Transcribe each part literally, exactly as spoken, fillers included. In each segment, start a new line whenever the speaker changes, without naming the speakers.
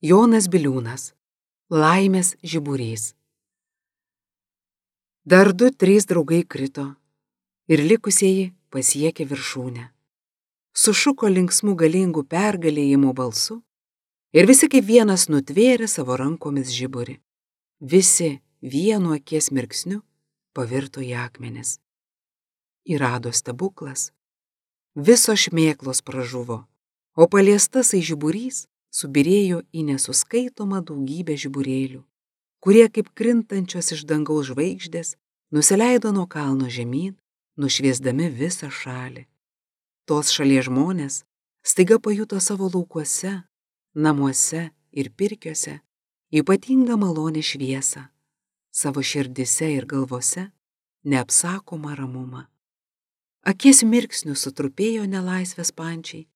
Jonas Biliūnas. Laimės žiburys. Dar du, trys draugai krito ir likusieji pasiekė viršūnę. Sušuko linksmų galingų pergalėjimo balsu ir visi kaip vienas nutvėrė savo rankomis žiburį. Visi vienu akies mirksniu pavirto į akmenis. Įrado stebuklas. Visos šmėklos pražuvo, o paliestasai žiburys subirėjo į nesuskaitomą daugybę žiburėlių, kurie kaip krintančios iš dangaus žvaigždės nusileido nuo kalno žemyn, nušviesdami visą šalį. Tos šalies žmonės staiga pajuto savo laukuose, namuose ir pirkiuose ypatingą malonę šviesą, savo širdise ir galvose neapsakomą ramumą. Akies mirksnių sutrupėjo nelaisvės pančiai,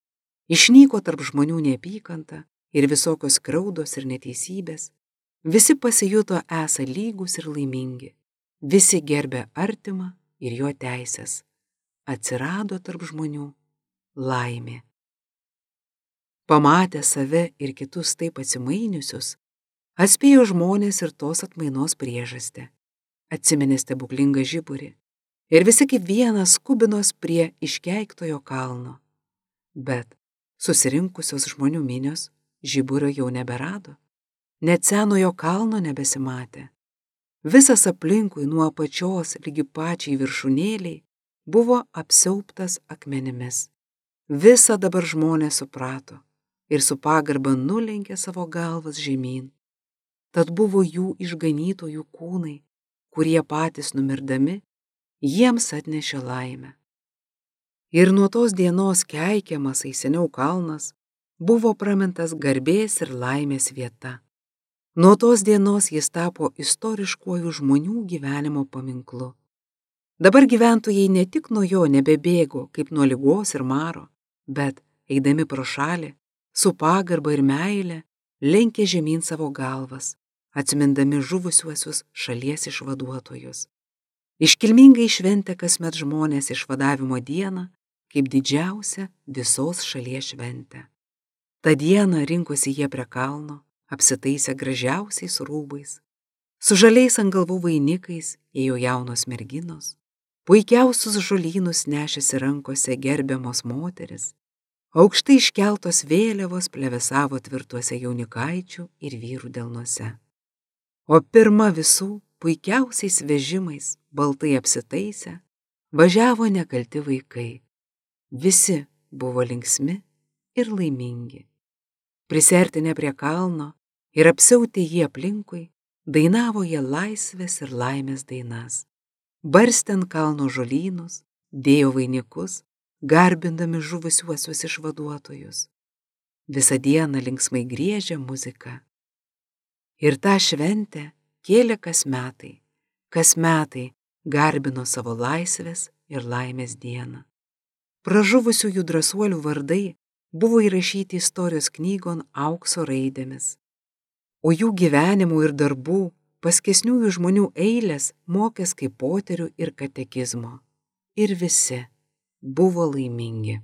išnyko tarp žmonių neapykanta ir visokios skriaudos ir neteisybės, visi pasijuto esą lygūs ir laimingi, visi gerbė artimą ir jo teisės, atsirado tarp žmonių laimė. Pamatę save ir kitus taip atsimainiusius, atspėjo žmonės ir tos atmainos priežastį, atsiminė stebuklingą žiburį ir visi kaip vienas skubinos prie iškeiktojo kalno. Bet susirinkusios žmonių minios žiburio jau neberado, net senojo kalno nebesimatė. Visas aplinkui nuo apačios lygi pačiai viršūnėliai buvo apsiauptas akmenimis. Visa dabar žmonės suprato ir su pagarba nulenkė savo galvas žemyn. Tad buvo jų išganytojų kūnai, kurie patys numirdami jiems atnešė laimę. Ir nuo tos dienos keikiamasai seniau kalnas buvo pramintas garbės ir laimės vieta. Nuo tos dienos jis tapo istoriškuoju žmonių gyvenimo paminklu. Dabar gyventojai ne tik nuo jo nebebėgo kaip nuo ligos ir maro, bet, eidami pro šalį, su pagarba ir meile lenkė žemyn savo galvas, atsimindami žuvusiuosius šalies išvaduotojus. Iškilmingai šventė kasmet žmonės išvadavimo dieną kaip didžiausią visos šalies šventę. Ta diena rinkosi jie prie kalno, apsitaisę gražiausiais rūbais. Su žaliais ant galvų vainikais ėjo jaunos merginos, puikiausius žolynus nešėsi rankose gerbiamos moteris, aukštai iškeltos vėliavos plevėsavo tvirtuose jaunikaičių ir vyrų delnuose. O pirma visų puikiausiais vežimais, baltai apsitaisę, važiavo nekalti vaikai. Visi buvo linksmi ir laimingi. Prisertinę prie kalno ir apsiautę jį aplinkui, dainavo jie laisvės ir laimės dainas. Barstė ant kalno žolynus, dėjo vainikus, garbindami žuvusiuosius išvaduotojus. Visą dieną linksmai griežė muzika. Ir tą šventę kėlė kas metai, kas metai garbino savo laisvės ir laimės dieną. Pražuvusiųjų drąsuolių vardai buvo įrašyti istorijos knygon aukso raidėmis, o jų gyvenimų ir darbų paskesniųjų žmonių eilės mokės kaip poterių ir katekizmo. Ir visi buvo laimingi.